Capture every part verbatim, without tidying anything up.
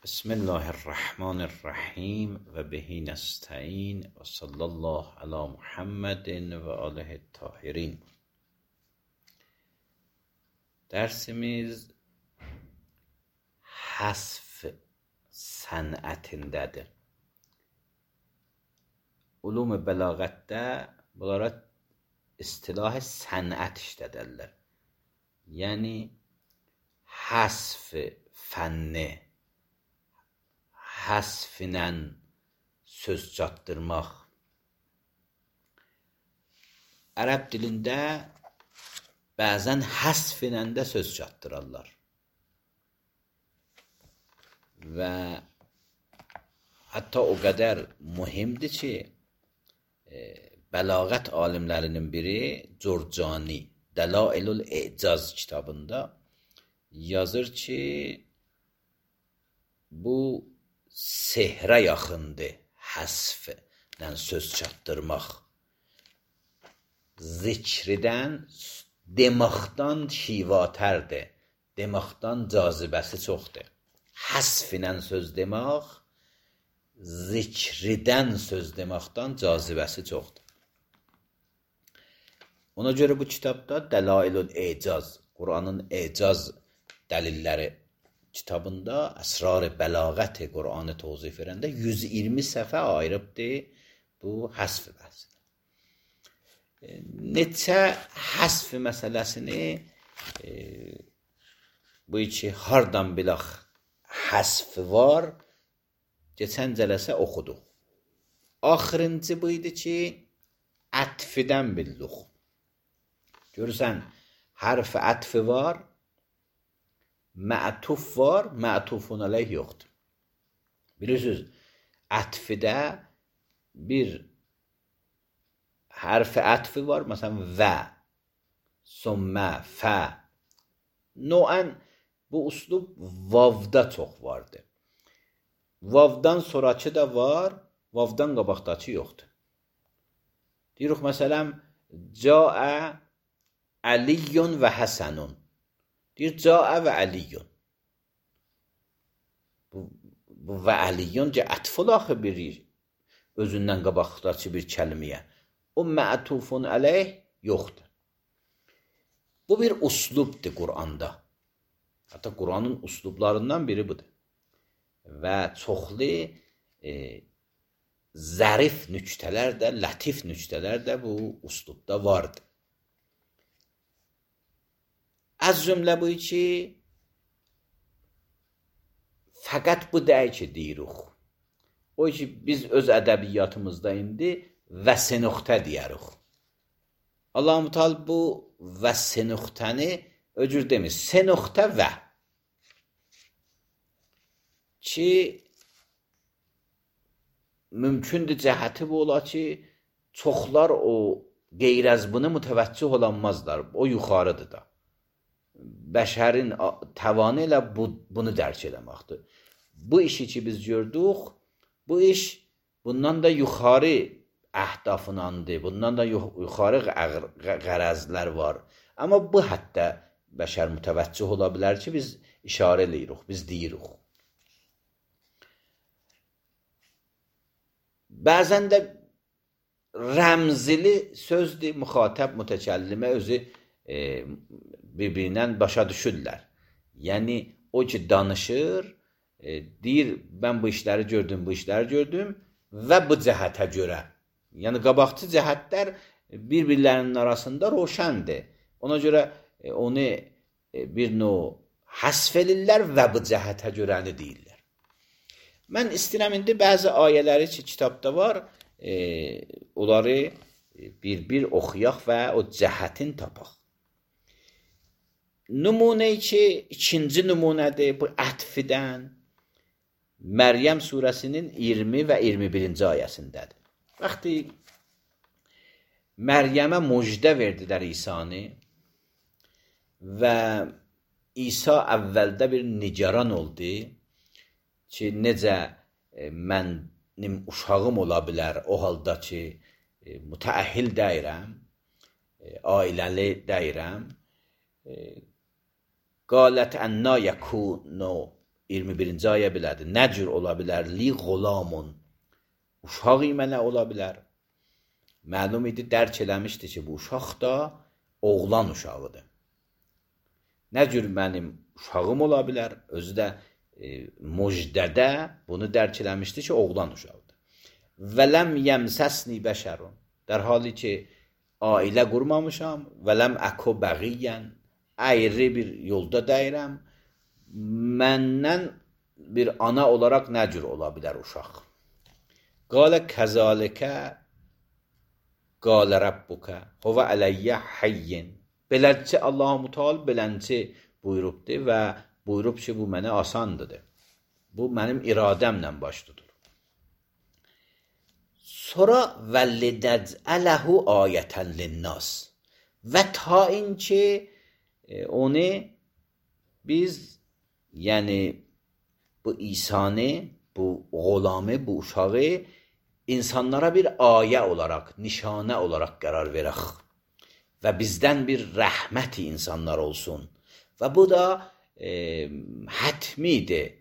بسم الله الرحمن الرحیم و بهی نستعین و صلی الله علی محمد و آله الطاهرین. Dersimiz hasf sənətindədir. Ulum-u bəlağətdə bunlara istilah sənət işlədərlər. Yəni hasf fənni, həsfinlə söz çatdırmaq. Ərəb dilində bəzən həsfinlə də söz çatdırarlar. Və hətta o qədər mühimdir ki, e, bəlağət alimlərinin biri Curcani Dəlailul İcaz kitabında yazır ki, bu sehrə yaxındır həsflə söz çatdırmaq. Zikridən, demaqdan şivatərdir. Demaqdan cazibəsi çoxdur. Həsflə söz demək, zikridən söz deməkdən cazibəsi çoxdur. Ona görə bu kitabda Dəlailul İcaz, Quranın icaz dəlilləri kitabında əsrar-ı bəlağət-i Quranı tozif verəndə yüz iyirmi səfə ayırıbdır bu həsf bəhsini. Neçə həsf məsələsini e, bu iki hardan bilək həsf var, keçən cələsə oxuduq. Axırıncı bu idi ki, ətfidən bildik. Görürsən, hərf ətfi var, mə'tuf var, mə'tufun aleyh yoxdur. Bilirsiniz, ətfidə bir hərf ətfi var, məsələn, və, sümmə, fə. Noən bu uslub vavda çox vardır. Vavdan sonraki da var, vavdan qabaqdakı yoxdur. Deyirik, məsələn, caə əliyyun və həsənun. Deyir, caə və əliyyun. Bu, bu və əliyyun ki, ətful axı bir özündən qabaqdakı bir kəlmiyə. O mə'tufun əleyh yoxdur. Bu bir uslubdur Quranda. Hətta Quranın uslublarından biri budur. Və çoxlu e, zərif nüktələr də, lətif nüktələr də bu uslubda vardır. Az cümlə bu ki, fəqət bu deyil ki, deyirik. O ki, biz öz ədəbiyyatımızda indi və senüxtə deyirik. Allah-u Teala bu və senüxtəni öcür demir. Senüxtə və. Ki, mümkündür cəhəti bu ola ki, çoxlar o qeyr-əzbını mütəvəccüh olanmazlar. O yuxarıdır da. Bəşərin təvanı ilə bu, bunu dərk eləməkdir. Bu işi ki biz gördük, bu iş bundan da yuxarı əhdafınandır, bundan da yuxarı qərəzlər var. Amma bu hətta bəşər mütəvəccüh ola bilər ki, biz işarə eləyirik, biz deyirik. Bəzən də rəmzili sözdür, müxatəb, mütəkəllimə özü e, bir-birindən başa düşürlər. Yəni, o ki danışır, e, deyir, mən bu işləri gördüm, bu işləri gördüm və bu cəhətə görə. Yəni, qabaqçı cəhətlər bir-birlərinin arasında roşəndir. Ona görə e, onu e, bir növ həsf edirlər və bu cəhətə görəni deyirlər. Mən istəyirəm indi bəzi ayələri ki, kitabda var, e, onları bir-bir oxuyaq və o cəhətin tapaq. Nümunə ki, ikinci nümunədir bu ətfidən Məryəm surəsinin iyirmi və iyirmi birinci ayəsindədir. Vaxtı Məryəmə müjdə verdilər İsa'nı və İsa əvvəldə bir nigaran oldu ki, necə e, mənim uşağım ola bilər o halda ki, e, mütəəhhil deyirəm, e, ailəli deyirəm. E, Qalət ənna yəkunu iyirmi birinci ayə belədir. Nə cür ola bilər? Li gulamun. Uşaq mənə ola bilər. Məlum idi, dərk eləmişdi ki, bu uşaq da oğlan uşağıdır. Nə cür mənim uşağım ola bilər? Özü də e, müjdədə bunu dərk eləmişdi ki, oğlan uşağıdır. Və ləm yəmsəsni bəşərun. در حالی ki ailə qurmamışam və ləm əku bəğiyən, ayrı bir yolda dəyirəm, məndən bir ana olaraq nə cür ola bilər uşaq? Qalə kəzalikə qalə Rabbukə huvə ələyyə hayyin. Beləcə Allah-u Teala beləcə buyurubdur və buyurub ki, bu mənə asandır. Bu mənim iradəmlə baş tutur. Sonra vəllidəcələhu ayətən linnas. Və ta inki e, onu biz, yəni bu İsanı, buğulamı, bu uşağı insanlara bir ayə olaraq, nişanə olaraq qərar verək. Və bizdən bir rəhməti insanlar olsun. Və bu da e, hətmidir.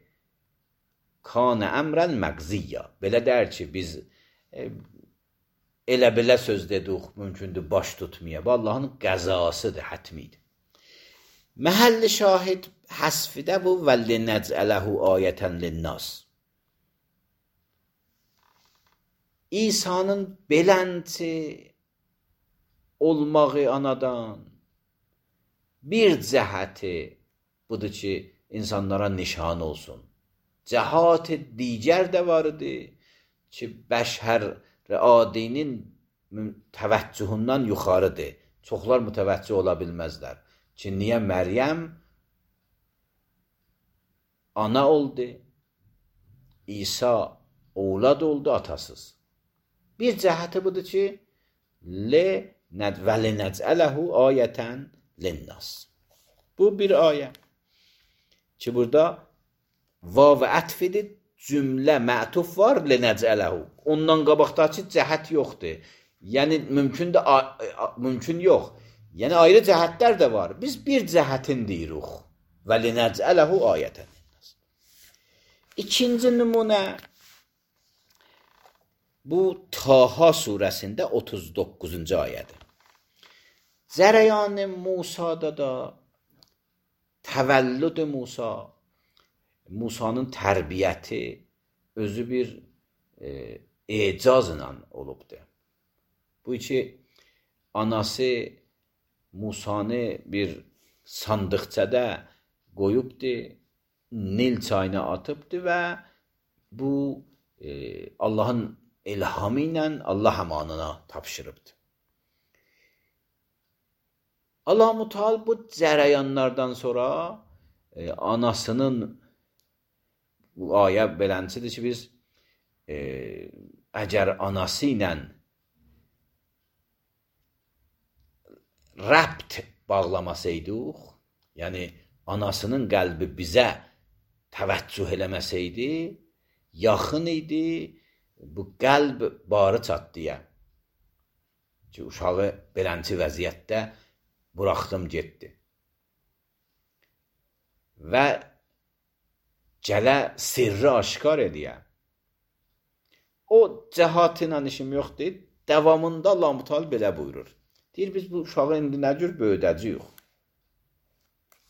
Kanə əmrən məqziyyə. Belə dər ki, biz e, elə belə söz dedik, mümkündür baş tutmaya. Bu Allahın qəzasıdır, hətmidir. Məhəlli şahid həsfidə bu vəllinəcələhu ayətən linnas. İsa'nın belənti olmağı anadan bir cəhəti budur ki, insanlara nişan olsun. Cəhət-i digər də var idi ki, bəşər adinin təvəccühündən yuxarıdır. Çoxlar mütəvəccüh ola bilməzlər. Ki, niyə Məryəm ana oldu, İsa oğlad oldu atasız. Bir cəhəti budur ki, vəlinəcələhu ayətən linnas. Bu bir ayə ki, burada vav ətfidir, cümlə mətuf var, linəcələhu. Ondan qabaqdakı cəhət yoxdur. Yəni, mümkün, də, mümkün yox. Yəni, ayrı cəhətlər də var. Biz bir cəhətin deyirik. Vəlinəcələhu ayətən linnas. İkinci nümunə, bu Taha surəsində otuz doqquzuncu ayədir. Zərəyan-ı Musa'da da təvəllüd-ü Musa, Musa'nın tərbiyyəti özü bir e, ecazla olubdur. Bu ki, anası Musa'nı bir sandıqçada qoyubdur, Nil çayına atıbdır və bu e, Allahın ilhamı ilə Allah əmanına tapşırıbdır. Allah-u Teala bu cərəyanlardan sonra e, anasının bu ayə beləncidir ki, biz e, əgər anası ilə rəbt bağlamasaydıq, yəni anasının qəlbi bizə təvəccüh eləməsəydi, yaxın idi, bu qəlb barı çatdıya ki, uşağı belənci vəziyyətdə buraxdım getdi. Və gələ sirri aşkar ediyə. O cəhatla işim yoxdur. Davamında Allah-u Teala belə buyurur. Deyir, biz bu uşağı indi nə cür böyüdəcəyik?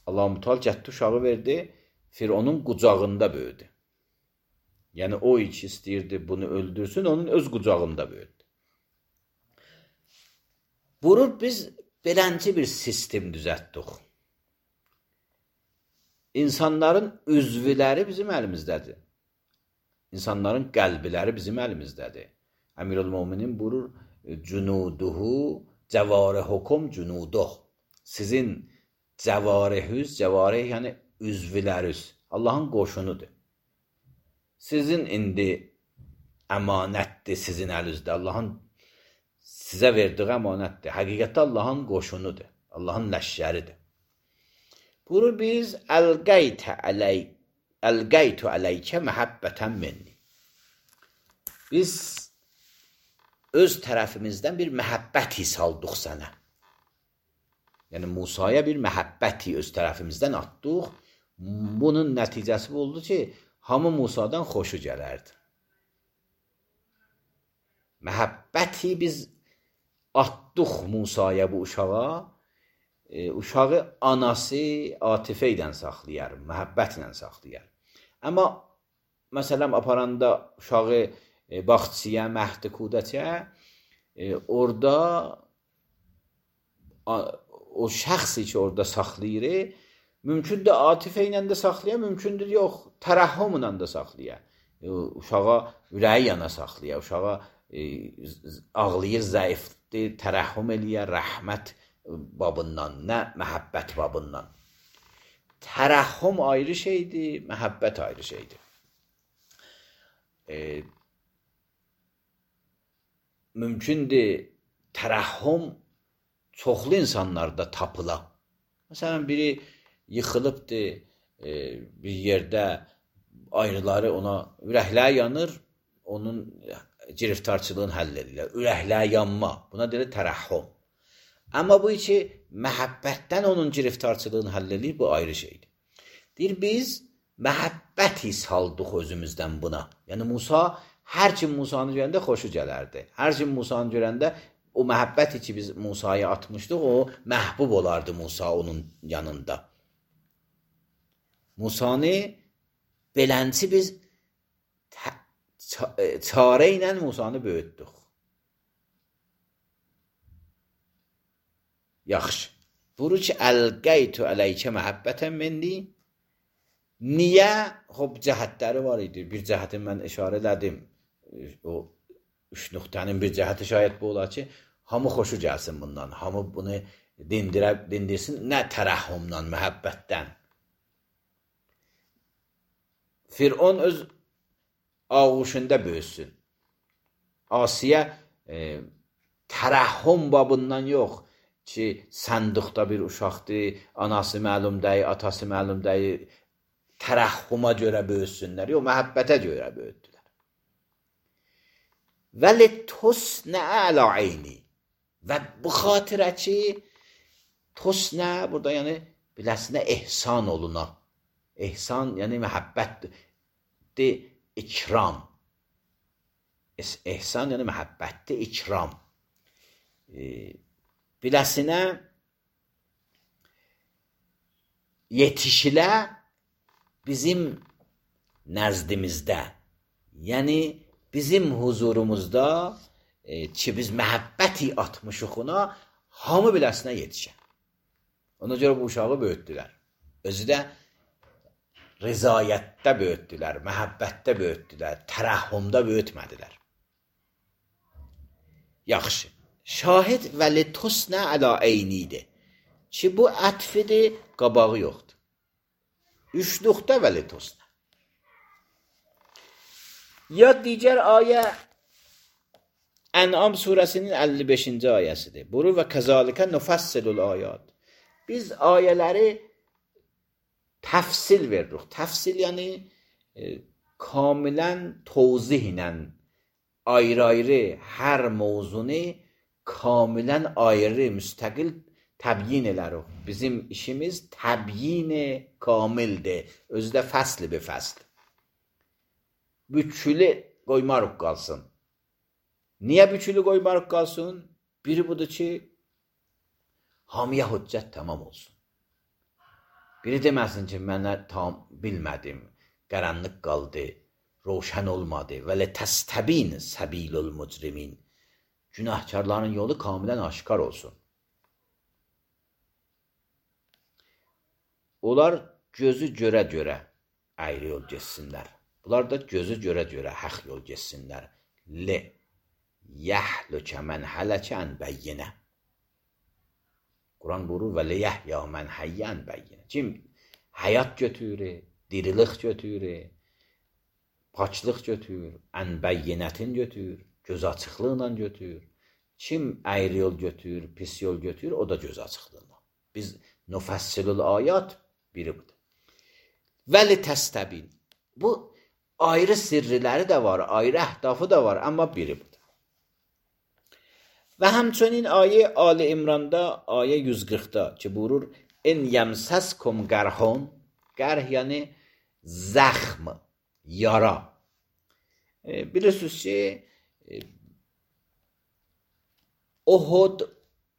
Allah-u Teala gətdi uşağı verdi, Fironun qucağında böyüdü. Yəni, o iki istəyirdi bunu öldürsün, onun öz qucağında böyüdü. Vurur, biz belənci bir sistem düzəltdik. İnsanların üzvləri bizim əlimizdədir. İnsanların qəlbiləri bizim əlimizdədir. Əmirül-Müminin buyurur, cünuduhu cəvarihukum cünuduh. Sizin cəvarihüz, cəvarih yəni üzvləriz. Allahın qoşunudur. Sizin indi əmanətdir sizin əlinizdə. Allahın sizə verdiği əmanətdir. Həqiqətdə Allahın qoşunudur. Allahın ləşşəridir. Buyurur, biz əlqəytə ələyk, əlqəytü ələykə məhəbbətən minni. Biz öz tərəfimizdən bir məhəbbət his aldıq sənə. Yəni, Musaya bir məhəbbəti öz tərəfimizdən atdıq. Bunun nəticəsi bu oldu ki, hamı Musadan xoşu gələrdi. Məhəbbəti biz atdıq Musaya bu uşağa, e, uşağı anası atifə ilə saxlayar, məhəbbətlə saxlayar. Amma məsələn aparanda uşağı e, baxçıya, məhd-i kudəçə, e, orada a, o şəxsi ki orada saxlayır, mümkündür atifə ilə də saxlaya, mümkündür yox, tərəhhümlə də saxlaya. E, uşağa ürəyi yana saxlaya, uşağa e, ağlayır, zəifdir, tərəhhüm eləyər, rəhmət babından, nə məhəbbət babından. Tərəhhüm ayrı şeydir, məhəbbət ayrı şeydir. E, mümkündür tərəhhüm çoxlu insanlarda tapıla. Məsələn, biri yıxılıbdır e, bir yerdə, ayrıları ona ürəkləri yanır, onun giriftarçılığını həll edirlər. Ürəkləri yanma, buna deyilir tərəhhüm. Amma bu ki, məhəbbətdən onun giriftarçılığını həll edir, bu ayrı şeydir. Deyir, biz məhəbbəti saldıq özümüzdən buna. Yəni, Musa, hər kim Musanı görəndə xoşu gələrdi. Hər kim Musanı görəndə, o məhəbbəti ki, biz Musaya atmışdıq, o məhbub olardı Musa onun yanında. Musanı belənci biz çarə ilə Musanı böyütdük. Yaxşı. Buru ki, əlqəytü ələykə məhəbbətən minni. Niyə? Xob, cəhətləri var idi. Bir cəhətin mən işarə elədim. O üç nöqtənin bir cəhəti şayət bu olar ki, hamı xoşu gəlsin bundan. Hamı bunu dindirə, dindirsin. Nə tərəhhümdən, məhəbbətdən. Firon öz ağuşunda böyüsün. Asiyə e, tərəhhüm babından yox ki, sənduqda bir uşaqdır, anası məlum deyil, atası məlum deyil, tərəhhüma görə böyüsünlər. Yox, məhəbbətə görə böyütdülər. Vəli tosnə ələ eyni. Və bu xatirə ki, tosnə, burada yəni biləsinə ehsan oluna. Ehsan, yəni məhəbbətdir, ikram. Ehsan, yəni məhəbbətdir, ikram. E, biləsinə yetişilə bizim nəzdimizdə, yəni bizim huzurumuzda e, ki, biz məhəbbəti atmışıq ona, hamı biləsinə yetişə. Ona görə bu uşağı böyütdülər. Özü də rizayətdə böyütdülər, məhəbbətdə böyütdülər, tərəhhümdə böyütmədilər. Yaxşı. Şahid vəli tosnə ələ eynidir. Ki, bu ətfidir, qabağı yoxdur. Üçlükdə vəli tosnə. Ya digər ayə Ən'am surəsinin əlli beşinci ayəsidir. Buyurur və kəzalikə nufassilul ayat. Biz ayələri təfsil veririk. Təfsil yəni e, kamilən tozih ilə ayrı-ayrı hər mövzunu kamilən ayrı, müstəqil təbyin elərik. Bizim işimiz təbyin kamildir. Özü də fəsli bir fəsl. Bütçülü qoymarıq qalsın. Niyə bütçülü qoymarıq qalsın? Biri budur ki, hamıya hüccət tamam olsun. Biri deməsin ki, mənə tam bilmədim, qaranlıq qaldı, roşən olmadı. Və lə təstəbin səbilul mücrimin. Günahkarların yolu kamilən aşkar olsun. Onlar gözü görə-görə ayrı yol geçsinlər. Bunlar da gözü görə-görə haq yol geçsinlər. Li yəhlükə mən hələkən bəyyinə. Quran buyurur və li yəhya mən həyyən bəyyinə. Kim həyat götürür, dirilik götürür, paçlıq götürür, ən bəyyinətin götürür, göz açıqlığıyla götürür. Kim ayrı yol götürür, pis yol götürür, o da göz açıqlığıyla. Biz nufassilul ayat biri budur. Vəli təstəbin. Bu ayrı sirriləri də var, ayrı əhdafı da var, amma biri budur. Və həmçinin ayə Ali İmranda, ayə yüz qırxda ki, buyurur, in yəmsəskum qərhun, Qərh yəni zəxm, yara. E, bilirsiniz ki, e, Uhud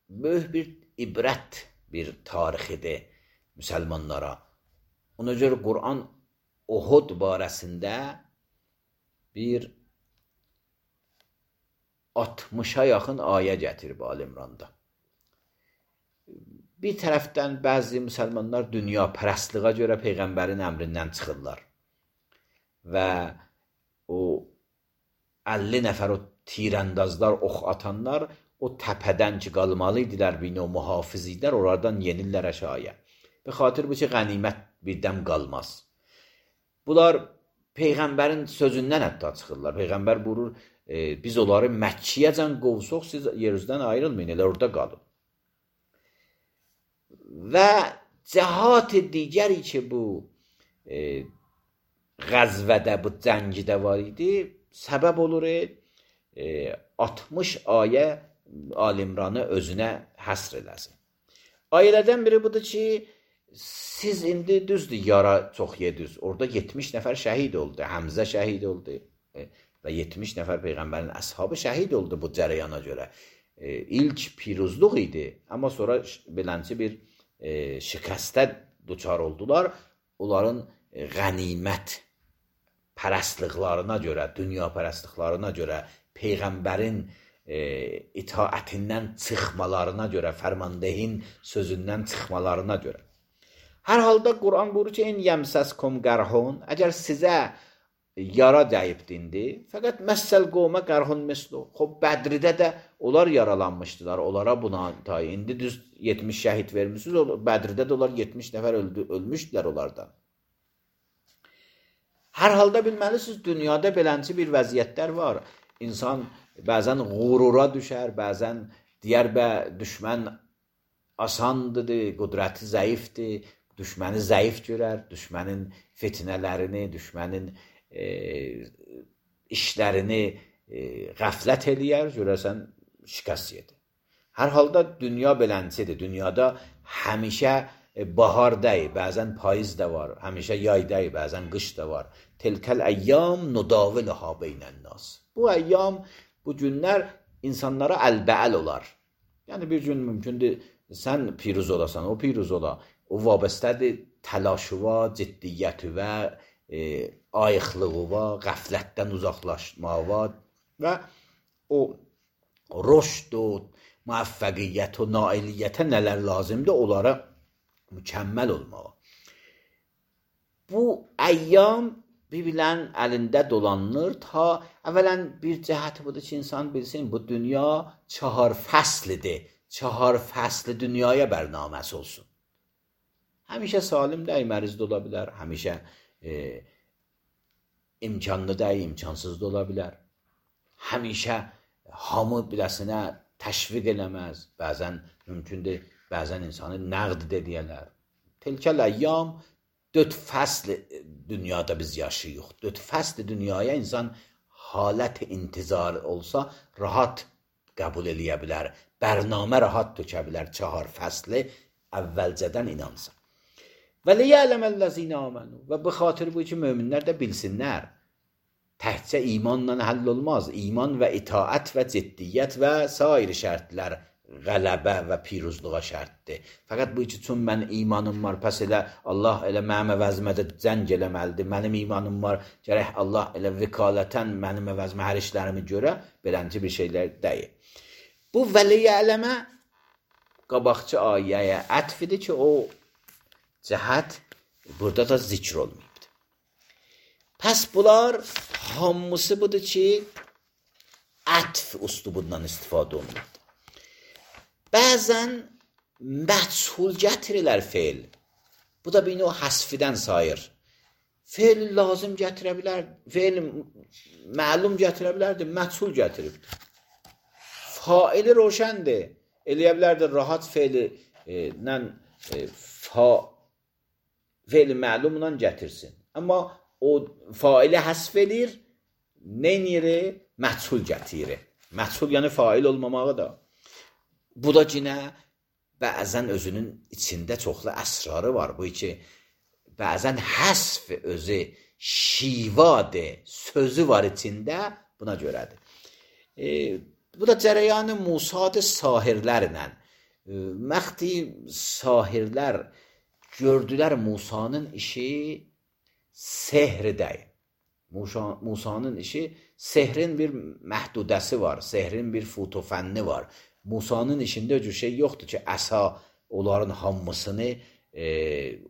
böyük bir ibrət bir tarixidir müsəlmanlara. Ona görə Quran Uhud barəsində bir altmışa yaxın ayə gətirib Ali İmranda. Bir tərəfdən bəzi müsəlmanlar dünya pərəstliğə görə Peyğəmbərin əmrindən çıxırlar. Və o əlli nəfər o tirəndazlar, ox atanlar o təpədən ki qalmalı idilər, bir növ mühafiz idilər, oradan yenirlər aşağıya. Be xatir bu ki, qənimət birdən qalmaz. Bunlar Peyğəmbərin sözündən hətta çıxırlar. Peyğəmbər buyurur, e, biz onları Məkkiyəcən qovsuq, siz yeryüzündən ayrılmayın, elə orada qalın. Və cəhat digəri ki, bu e, qəzvədə, bu cəngidə var idi, səbəb olur e, altmış ayə Ali İmranı özünə həsr eləsin. Ayələrdən biri budur ki, siz indi düzdür, yara çox yediniz. Orada yetmiş nəfər şəhid oldu, Həmzə şəhid oldu e, və yetmiş nəfər Peyğəmbərin əshabı şəhid oldu bu cərəyana görə. E, ilk piruzluq idi, amma sonra belənçi bir e, şikəstə duçar oldular. Onların e, qənimət pərəstliqlarına görə, dünya pərəstliqlarına görə, Peyğəmbərin e, itaətindən çıxmalarına görə, fərmandehin sözündən çıxmalarına görə. Hər halda Quran buyurur ki, in yəmsəskum qərhun, əgər sizə yara dəyibdindi, fəqət məsəl qovmə qərhun mislu. Xob, Bədridə də onlar yaralanmışdılar, onlara buna tayi. İndi düz yetmiş şəhid vermişsiniz, Bədridə də onlar yetmiş nəfər öldü, ölmüşdülər onlardan. Hər halda bilməlisiniz, dünyada belənçi bir vəziyyətlər var. İnsan bəzən qurura düşər, bəzən deyər bə, düşmən asandır, qudrəti zəifdir, düşməni zəif görər, düşmənin fitnələrini, düşmənin e, işlərini e, qəflət eləyər, görərsən şikəst yedir. Hər halda dünya beləncidir. Dünyada həmişə e, bahar deyil, bəzən payız da var, həmişə yay deyil, bəzən qış da var. Tilkəl əyyam nudaviluha beynənnas. Bu əyyam, bu günlər insanlara əlbəəl olar. Yəni bir gün mümkündür, sən piruz olasan, o piruz ola. O vabestədir təlaşıva, ciddiyyətivə, e, ayıqlığıva, qəflətdən uzaqlaşmağa və o rüşd, o müvəffəqiyyət, o nailiyyətə nələr lazımdır, onlara mükəmməl olmağa. Bu əyyam bir-birlərin əlində dolanılır ta əvvələn bir cəhəti budur ki, insan bilsin, bu dünya çahar fəslidir. Çahar fəsli dünyaya bərnaməsi olsun. Həmişə salim deyil, məriz də ola bilər. Həmişə e, imkanlı deyil, imkansız da ola bilər. Həmişə hamı biləsinə təşviq eləməz. Bəzən mümkündür, bəzən insanı nəqd edəyələr. Tilkəl əyyam, dörd fəsl dünyada biz yaşayıq. Dörd fəsl dünyaya insan halət intizar olsa, rahat qəbul eləyə bilər. Bərnamə rahat tökə bilər. Çahar fəsli əvvəlcədən inansa. Və liyələməl-ləzina amanu. Və bu xatir bu ki, möminlər də bilsinlər. Təhcə imanla həll olmaz. İman və itaət və ciddiyyət və sair şərtlər qələbə və piruzluğa şərtdir. Fəqət bu ki, çün mən imanım var, pəs elə Allah elə mənim əvəzmədə cəng eləməlidir. Mənim imanım var, gərək Allah elə vikalətən mənim əvəzmə hər işlərimi görə, belənci bir şeylər deyil. Bu vəliyələmə qabaqçı ayəyə ətfidir ki, o cəhət burada da zikr olmayıbdır. Pəs bunlar hamısı budur ki, ətf üslubundan istifadə olunur. Bəzən məchul gətirirlər feil. Bu da bir növ həsfidən sayır. Feil lazım gətirə bilər, feil məlum gətirə bilərdir, məchul gətiribdir. Faili roşəndir. Eləyə bilərdir, rahat feili e, nən, e, fa, feili məlumla gətirsin. Amma o faili həsf edir, neyniri? Məchul gətirir. Məchul yəni fail olmamağı da. Bu da cinə bəzən özünün içində çoxlu əsrarı var. Bu ki, bəzən həsf özü, şivadır, sözü var içində, buna görədir. E, bu da cərəyanı Musadır sahirlərlə. E, məxti sahirlər gördülər Musanın işi sehri deyil. Musa, Musanın işi, sehrin bir məhdudəsi var, sehrin bir futofənni var. Musanın işində öcür şey yoxdur ki, əsa onların hamısını, e,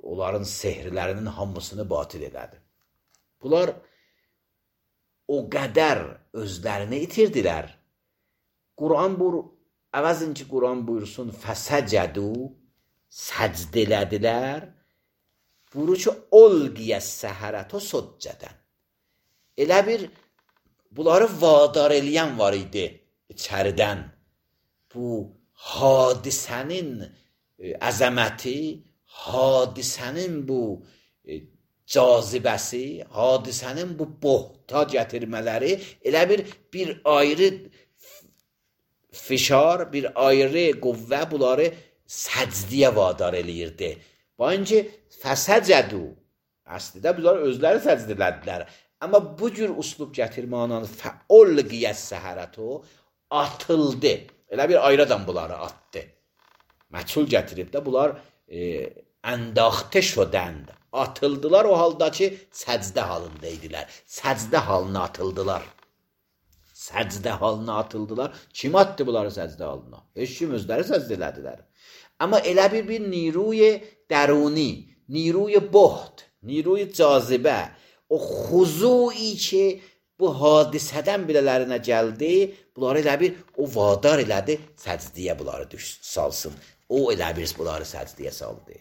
onların sehirlərinin hamısını batil elədi. Bunlar o qədər özlərini itirdilər. Quran buyur, əvəzin ki, Quran buyursun, fəsəcədu, səcd elədilər, buyurur ki, olqiyəs səhərət o soccədən. Elə bir, bunları vadar eləyən var idi içəridən. Bu hadisənin əzəməti, hadisənin bu cazibəsi, hadisənin bu bohta gətirmələri elə bir, bir ayrı fişar, bir ayrı qüvvə bunları səcdiyə vadar eləyirdi. Bancı fəsəcədu, əslində bunlar özləri səcd elədilər. Amma bu cür uslub gətirmənin fəolqiyəs səhərətu atıldı. Elə bir ayradan bunları atdı. Məçhul gətirib də bunlar e, əndəxtə şodənd. Atıldılar o halda ki, səcdə halında idilər. Səcdə halına atıldılar. Səcdə halına atıldılar. Kim atdı bunları səcdə halına? Heç kim özləri səcdə elədilər. Amma elə bir bir niruy dəruni, niruy boht, niruy cazibə, o xuzui ki, bu hadisədən bilələrinə gəldi, bunları elə bir, o vadar elədi, səcdiyə bunları düş, salsın. O elə bir, bunları səcdiyə saldı.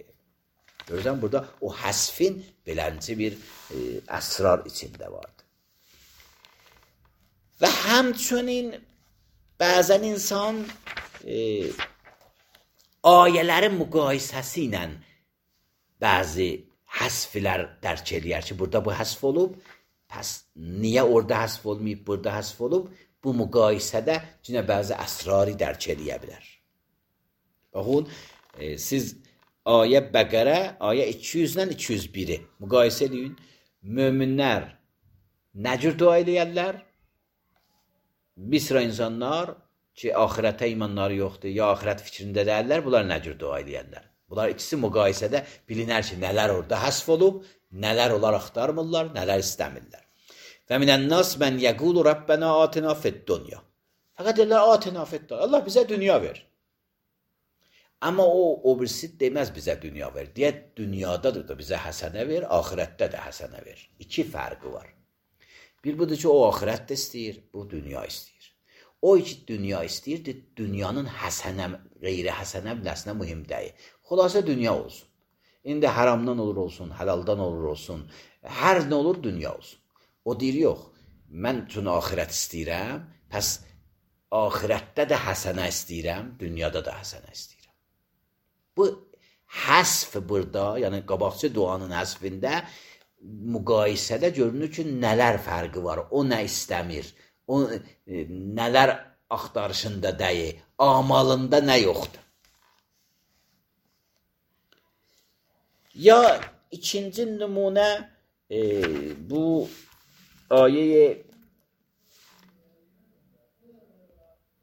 Görürsən, burada o həsfin belənci bir e, əsrar içində vardı. Və həmçinin bəzən insan e, ayələrin müqayisəsi ilə bəzi həsflər dərk eləyər ki, burada bu həsf olub, pəs niyə orada həsf olmayıb, burada həsf olub, bu müqayisədə cünə bəzi əsrari dərk eləyə bilər. Baxın, e, siz ayə Bəqərə, ayə iki yüzdən iki yüz biri müqayisə edin. Möminlər nə cür dua eləyərlər? Bir sıra insanlar ki, axirətə imanları yoxdur, ya axirət fikrində dəyərlər, bunlar nə cür dua eləyərlər? Bunlar ikisi müqayisədə bilinər ki, nələr orada həsf olub, nələr onlar axtarmırlar, nələr istəmirlər. Və minən-nas mən yəqulu Rabbənə atina fid-dunya. Fəqət deyirlər, atina fid-dunya. Allah bizə dünya ver. Amma o, o birisi deməz bizə dünya ver. Deyə, dünyadadır da bizə həsənə ver, axirətdə də həsənə ver. İki fərqi var. Bir budur ki, o axirət də istəyir, bu dünya istəyir. O iki dünya istəyir, dünyanın həsənə, qeyri həsənə biləsinə mühim deyil. Xülasə dünya olsun. İndi haramdan olur olsun, həlaldan olur olsun, hər nə olur dünya olsun. O deyir, yox, mən üçün axirət istəyirəm, pəs axirətdə də həsənə istəyirəm, dünyada da həsənə istəyirəm. Bu həsf burada, yəni qabaqçı duanın həsfində müqayisədə görünür ki, nələr fərqi var, o nə istəmir, o e, nələr axtarışında deyil, amalında nə yoxdur. Ya ikinci nümunə e, bu ayə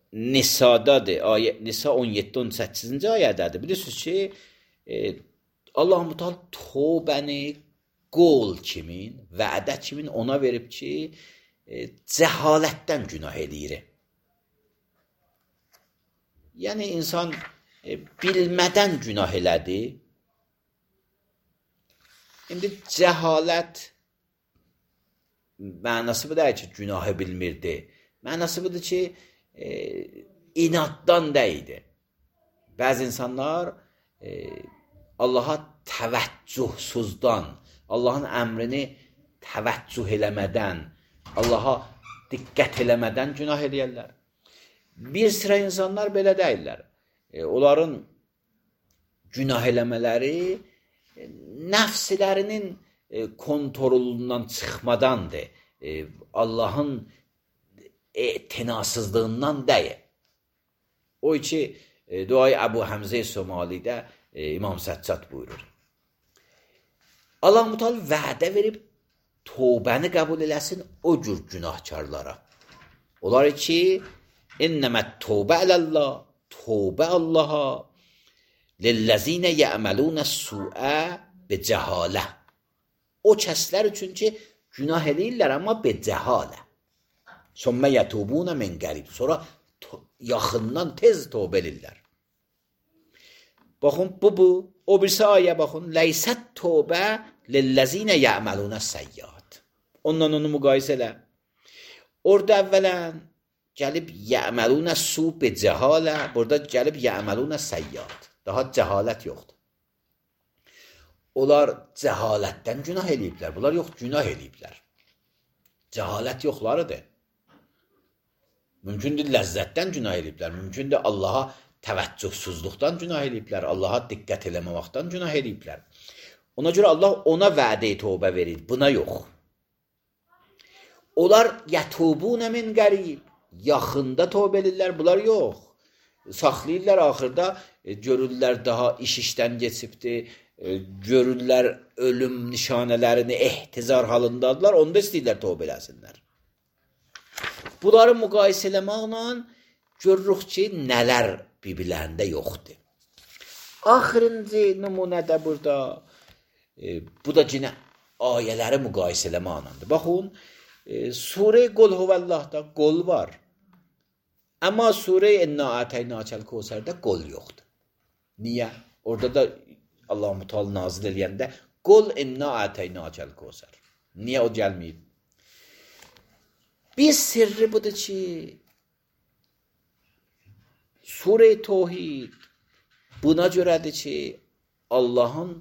Nisa'dadır. Ayə, Nisa on yeddi on səkkizinci ayədədir. Bilirsiniz ki, e, Allah-u Teala tövbəni qol kimin, vədə kimin ona verib ki, e, cəhalətdən günah eləyir. Yəni, insan e, bilmədən günah elədi. İndi cəhalət mənası bu deyil ki, günahı bilmirdi. Mənası budur ki, e, inaddan deyildi. Bəzi insanlar e, Allaha təvəccühsuzdan, Allahın əmrini təvəccüh eləmədən, Allaha diqqət eləmədən günah eləyərlər. Bir sıra insanlar belə deyirlər. E, onların günah eləmələri e, nəfslərinin e, kontrolundan çıxmadandır. E, Allahın etinasızlığından deyil. O ki, e, duayı Əbu Həmzə Somalidə e, İmam Səccad buyurur. Allah Teala vədə verib tövbəni qəbul eləsin o cür günahkarlara. Onlar ki, innəmət tövbə alallah, tövbə Allaha lillezine ya'maluna su'a bicəhalə. O kəslər üçün ki, günah eləyirlər amma bicəhalə. Sonra yətubuna min qərib. Sonra yaxından tez tövbə eləyirlər. Baxın bu bu. O birisi ayə baxın. Leysət tövbə lillezine ya'maluna seyyiat. Ondan onu müqayisə elə. Orada əvvələn gəlib ya'maluna su bicəhalə. Burada gəlib ya'maluna seyyiat. Daha cəhalət yoxdur. Onlar cəhalətdən günah eləyiblər. Bunlar yox, günah eləyiblər. Cəhalət yoxlarıdır. Mümkündür ləzzətdən günah eləyiblər. Mümkündür Allaha təvəccühsüzlükdən günah eləyiblər. Allaha diqqət eləməməkdən günah eləyiblər. Ona görə Allah ona vədə tövbə verir. Buna yox. Onlar yətubunə min qərib. Yaxında tövbə eləyirlər. Bunlar yox. Saxlayırlar axırda, e, görürlər daha iş işdən geçibdir, e, görürlər ölüm nişanələrini ehtizar halındadılar, onda istəyirlər tövbə eləsinlər. Bunları müqayisə eləməklə görürük ki, nələr bir-birlərində yoxdur. Axırıncı nümunədə burada, e, bu da yine ayələri müqayisə eləməklədir. Baxın, e, Surə Qul Huvəllahda qol var. Amma Surə İnna Ətəynəkəl Kəvsərdə qol yoxdur. Niyə? Orada da Allah-u Teala nazil eləyəndə Qul İnna Ətəynəkəl Kəvsər. Niyə o gəlməyib? Bir sirri budur ki, Surə Təvhid buna görədir ki, Allahın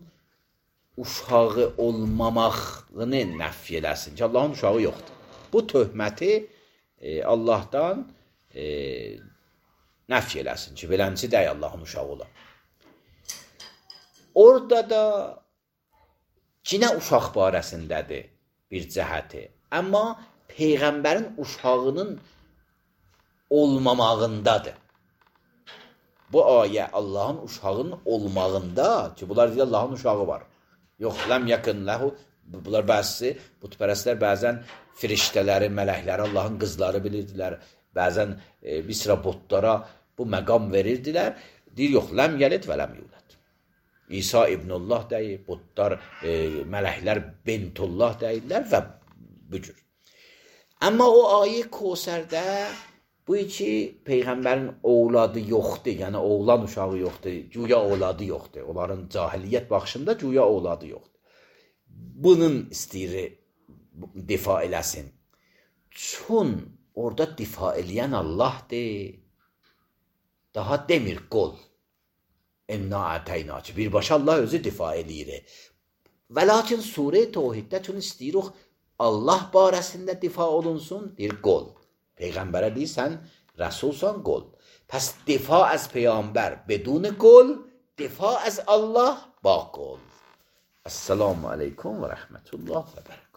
uşağı olmamağını nəfi eləsin ki, Allahın uşağı yoxdur. Bu töhməti e, Allahdan e, nəfi eləsin ki, beləncə dəy Allahın uşağı ola. Orada da yine uşaq barəsindədir bir cəhəti. Amma Peyğəmbərin uşağının olmamağındadır. Bu ayə Allahın uşağının olmağında ki, bunlar deyir Allahın uşağı var. Yox, ləm yakın ləhu. Bunlar bəzisi, bütpərəstlər bəzən firiştələri, mələkləri Allahın qızları bilirdilər. Bəzən e, bir sıra botlara bu məqam verirdilər. Deyir, yox, ləm yəlid və ləm yulad. İsa İbnullah deyir, botlar, e, mələklər Bentullah deyirlər və bu cür. Amma o ayə Kəvsərdə bu iki Peyğəmbərin oğladı yoxdur, yəni oğlan uşağı yoxdur, güya oğladı yoxdur. Onların cahiliyyət baxışında güya oğladı yoxdur. Bunun istəyir difa eləsin. Çün orada difa eləyən Allahdır. Daha demir qol. İnna ətəynəkə. Birbaşa Allah özü difa eləyir. Və lakin Surə Təvhiddə çün istəyirik Allah barəsində difa olunsun, deyir qol. Peyğəmbərə deyir, sən rəsulsan, qol. Pəs difa az Peyğəmbər bedun qol, difa az Allah ba qol. Esselamu aleyküm və rəhmətullah və bərəkətuhu.